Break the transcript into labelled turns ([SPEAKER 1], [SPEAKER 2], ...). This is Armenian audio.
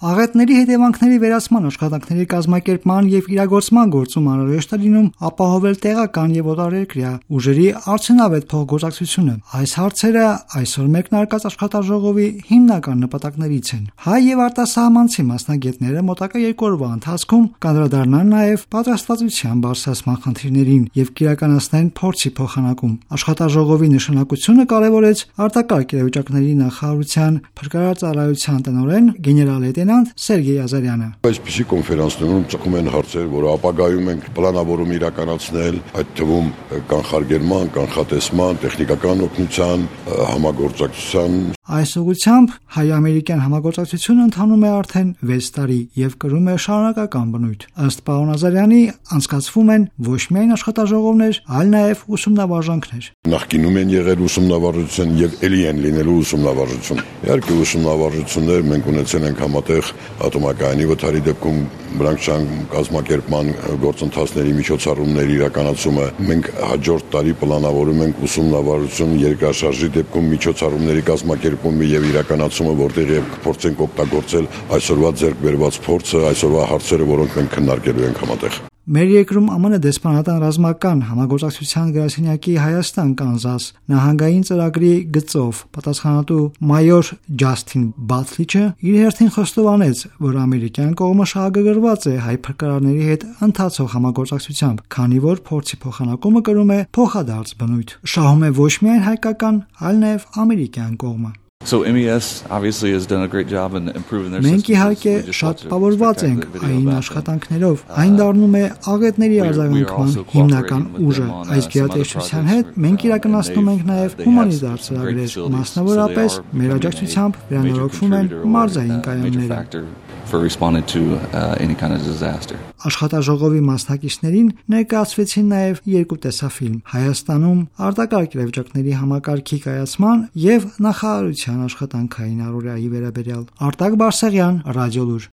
[SPEAKER 1] Աղետների հետևանքների վերացման աշխատանքների կազմակերպման եւ իրագործման գործում անհրաժեշտ է լինում ապահովել տեղական եւ օտարերկրյա ուժերի արդյունավետ փոխգործակցությունը։ Այս հարցերը այսօր մեկնարկած աշխատաժողովի հիմնական նպատակներից են։ Հայ եւ արտասահմանցի մասնագետները մոտակա 2 օրվա ընթացքում կանդրադառնան նաեւ պատրաստվածության բարձրացման խնդիրներին եւ կիրականացնեն փորձի փոխանակում։ Աշխատաժողովի նշանակությունը կարևորեց արտակարգ իրավիճակների նախարարության փրկարարծառայության տնօրեն գեներալ-լեյտենանտ Սերգեյ Ազարյանը։
[SPEAKER 2] Այսպիսի կոնֆերանսներում ծագում են հարցեր, որ ապագայում ենք պլանավորում իրականացնել, այդ թվում կանխարգելման, կանխատեսման, տեխնիկական օգնության, համագործակցության։
[SPEAKER 1] Այս ուղղությամբ հայ-ամերիկյան համագործակցությունը ընթանում է արդեն 6 տարի եւ կրում է շարունակական բնույթ։ Ըստ պարոն Ազարյանի, անցկացվում են ոչ միայն աշխատաժողովներ, այլ նաեւ ուսումնավարժանքներ։
[SPEAKER 2] Նախկինում են եղել ուսումնավարժություն եւ ելի են լինելու ուսումնավարժություն։ Իհարկե ուսումնավարժություններ մենք ունեցել ենք համատեղ ատոմակայանի վթարի դեպքում վրանքչան կազմակերպման գործընթացների միջոցառումների իրականացումը։ Մենք հաջորդ տարի պլանավորում ենք ուսումնավարժություն երկրաշարժի դեպքում միջոցառումների կազմակերպումը եւ իրականացումը, որտեղ եւ կփորձենք օգտագործել այսօրվա ձեռք բերված փորձը, այսօրվա հարցերը, որոնք մենք քննարկելու ենք համատեղ։
[SPEAKER 1] Մեր երկրում ԱՄՆ դեսպանատան ռազմական համագործակցության գրասենյակի Հայաստան-Կանզաս նահանգային ծրագրի գծով պատասխանատու մայոր Ջասթին Բաթլիչը իր հերթին խոստովանեց, որ ամերիկյան կողմը շահագրգռված է հայ փրկարարների հետ ընթացող համագործակցությամբ, քանի որ փորձի փոխանակումը կրում է փոխադարձ բնույթ։ Շահում է ոչ միայն հայկական, այլ նաև ամերիկյան կողմը։
[SPEAKER 3] So MES obviously has done a great job in improving their
[SPEAKER 1] Մենք իհարկե շատ պավորված ենք այն աշխատանքներով, այն դառնում է աղետների արձագանքման հիմնական ուժը։ Այս գերատեսչության հետ մենք իրականացնում ենք նաև հումանիտար ծրագրեր, մասնավորապես մեր աջակցությամբ վերանորոգվում են մարզային կայանները։
[SPEAKER 3] For responding to any kind of disaster.
[SPEAKER 1] Աշխատաժողովի մասնակիցներին ներկայացվեցին նաև 2 տեսաֆիլմ՝ Հայաստանում արտակարգ իրավիճակների համակարգի կայացման եւ նախարարության աշխատանքային առօրյայի վերաբերյալ։ Արտակ Բարսեղյան, Ռադիոլուր։